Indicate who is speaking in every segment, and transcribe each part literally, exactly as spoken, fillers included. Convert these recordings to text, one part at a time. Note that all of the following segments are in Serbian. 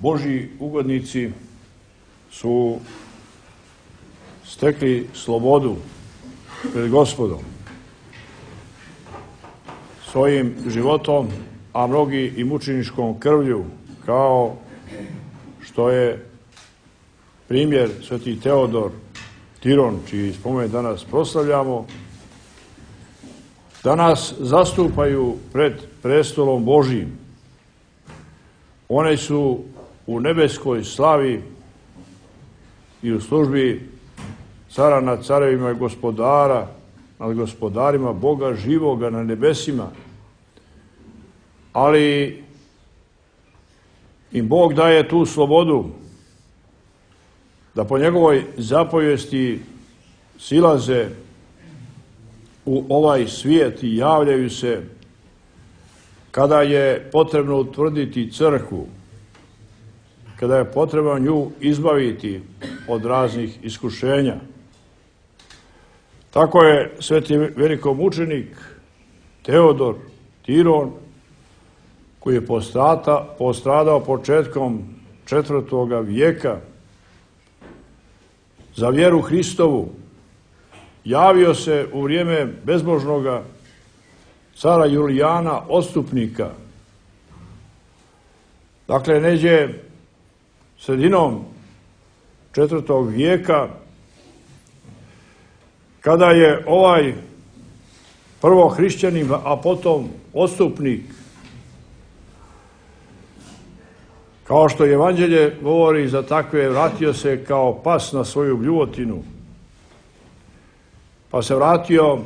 Speaker 1: Božji ugodnici su stekli slobodu pred Gospodom svojim životom, a mnogi i mučeničkom krvlju, kao što je primjer sveti Teodor Tiron, čiji spomen danas proslavljamo, da nas zastupaju pred prestolom Božijim. One su u nebeskoj slavi i u službi cara nad carevima i gospodara nad gospodarima, Boga živoga na nebesima, ali im Bog daje tu slobodu da po njegovoj zapovijesti silaze u ovaj svijet i javljaju se kada je potrebno utvrditi crkvu, kada je potrebno nju izbaviti od raznih iskušenja. Tako je sveti velikomučenik Teodor Tiron, koji je postrata, postradao početkom četvrtoga vijeka za vjeru Hristovu, javio se u vrijeme bezbožnoga cara Julijana Odstupnika. Dakle, neđe sredinom četvrtog vijeka, kada je ovaj prvo hrišćanin, a potom odstupnik, kao što Evanđelje govori za takve, vratio se kao pas na svoju bljuvotinu, pa se vratio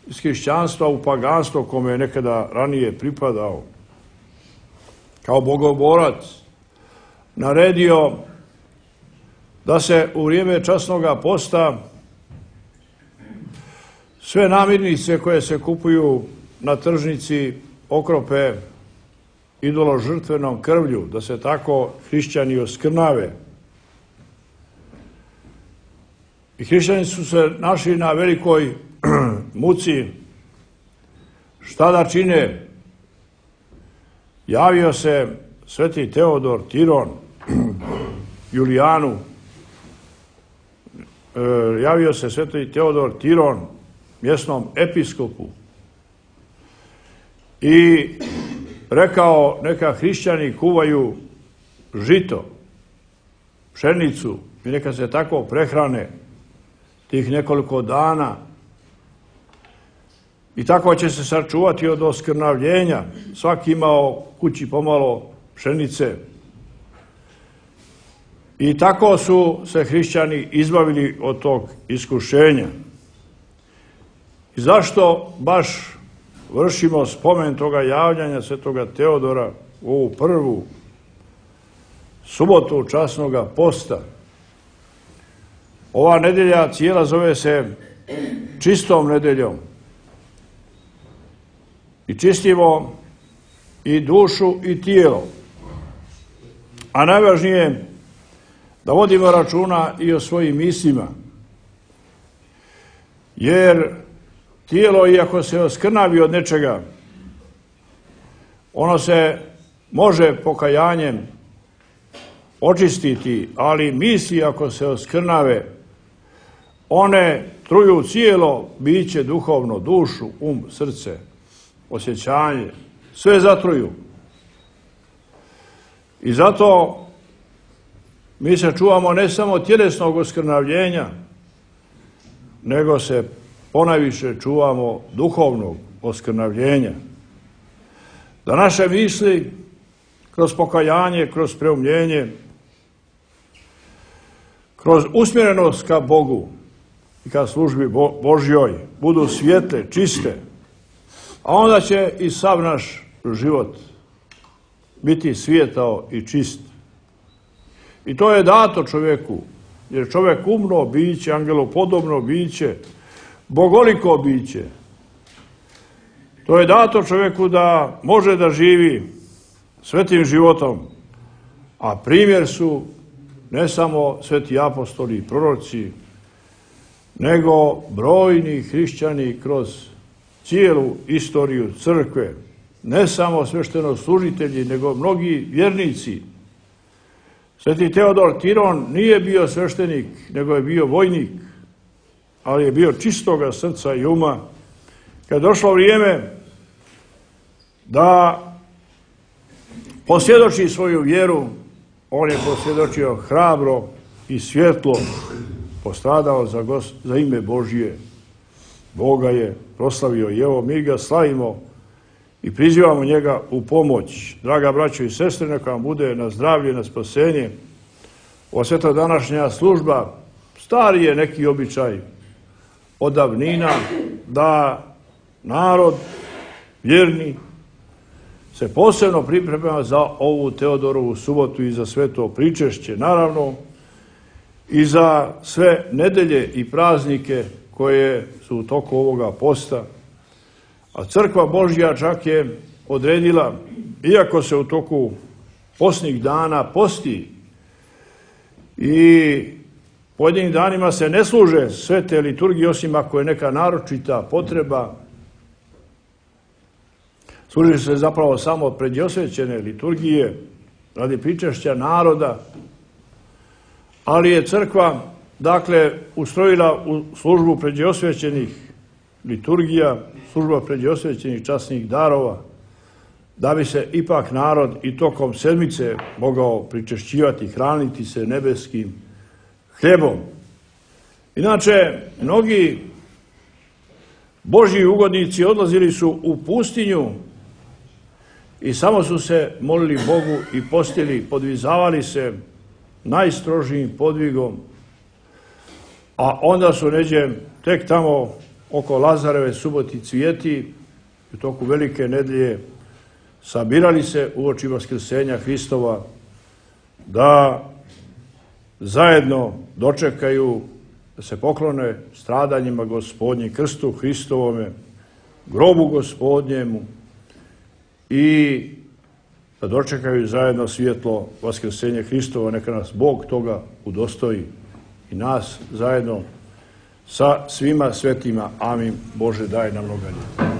Speaker 1: iz hrišćanstva u paganstvo kome je nekada ranije pripadao. Kao bogoborac naredio da se u vrijeme časnoga posta sve namirnice koje se kupuju na tržnici okrope idoložrtvenom krvlju, da se tako hrišćani oskrnave. I hrišćani su se našli na velikoj muci. Šta da čine? Javio se sveti Teodor Tiron Julijanu, javio se sveti Teodor Tiron mjesnom episkopu i rekao, neka hrišćani kuvaju žito, pšenicu i neka se tako prehrane tih nekoliko dana i tako će se sačuvati od oskrnavljenja. Svaki imao kući pomalo pšenice. I tako su se hrišćani izbavili od tog iskušenja. I zašto baš vršimo spomen toga javljanja svetoga Teodora u ovu prvu subotu časnoga posta? Ova nedelja cijela zove se čistom nedeljom. I čistimo i dušu i tijelo. A najvažnije je da vodimo računa i o svojim mislima. Jer tijelo, iako se oskrnavi od nečega, ono se može pokajanjem očistiti, ali misli, ako se oskrnave, one truju cijelo biće duhovno, dušu, um, srce, osjećanje, sve zatruju. I zato mi se čuvamo ne samo tjelesnog oskrnavljenja, nego se ponajviše čuvamo duhovnog oskrnavljenja. Da naše misli kroz pokajanje, kroz preumljenje, kroz usmjerenost ka Bogu i ka službi Božjoj budu svijetle, čiste, a onda će i sav naš život biti svijetao i čist. I to je dato čovjeku, jer čovjek umno biće, angelopodobno biće, bogoliko biće. To je dato čovjeku da može da živi svetim životom, a primjer su ne samo sveti apostoli i proroci, nego brojni hrišćani kroz cijelu istoriju crkve, ne samo sveštenoslужitelji, nego mnogi vjernici Sveti Teodor Tiron nije bio sveštenik, nego je bio vojnik, ali je bio čistoga srca i uma. Kad je došlo vrijeme da posvjedoči svoju vjeru, on je posvjedočio hrabro i svjetlo, postradao za, gos, za ime Božije. Boga je proslavio i evo mi ga slavimo i prizivamo njega u pomoć. Draga braćo i sestre, neka vam bude na zdravlje, na spasenje. Ova sveta današnja služba, stari je neki običaj od davnina da narod vjerni se posebno priprema za ovu Teodorovu subotu i za sve to pričešće, naravno i za sve nedelje i praznike koje su u toku ovoga posta. A Crkva Božja čak je odredila, iako se u toku postnih dana posti i pojedinim danima se ne služe sve te liturgije, osim ako je neka naročita potreba, služi se zapravo samo predosvećene liturgije radi pričešća naroda, ali je Crkva, dakle, ustrojila u službu predosvećenih liturgija, služba predosvećenih časnih darova, da bi se ipak narod i tokom sedmice mogao pričešćivati, hraniti se nebeskim hljebom. Inače, mnogi Božji ugodnici odlazili su u pustinju i samo su se molili Bogu i postili, podvizavali se najstrožijim podvigom, a onda su neđe tek tamo oko Lazareve suboti cvijeti u toku velike nedelje sabirali se uoči vaskrsenja Hristova da zajedno dočekaju, da se poklone stradanjima Gospodnjim, krstu Hristovome, grobu Gospodnjemu i da dočekaju zajedno svjetlo vaskrsenja Hristova. Neka nas Bog toga udostoji i nas zajedno sa svima svetima. Amin. Bože, daj nam mnogo.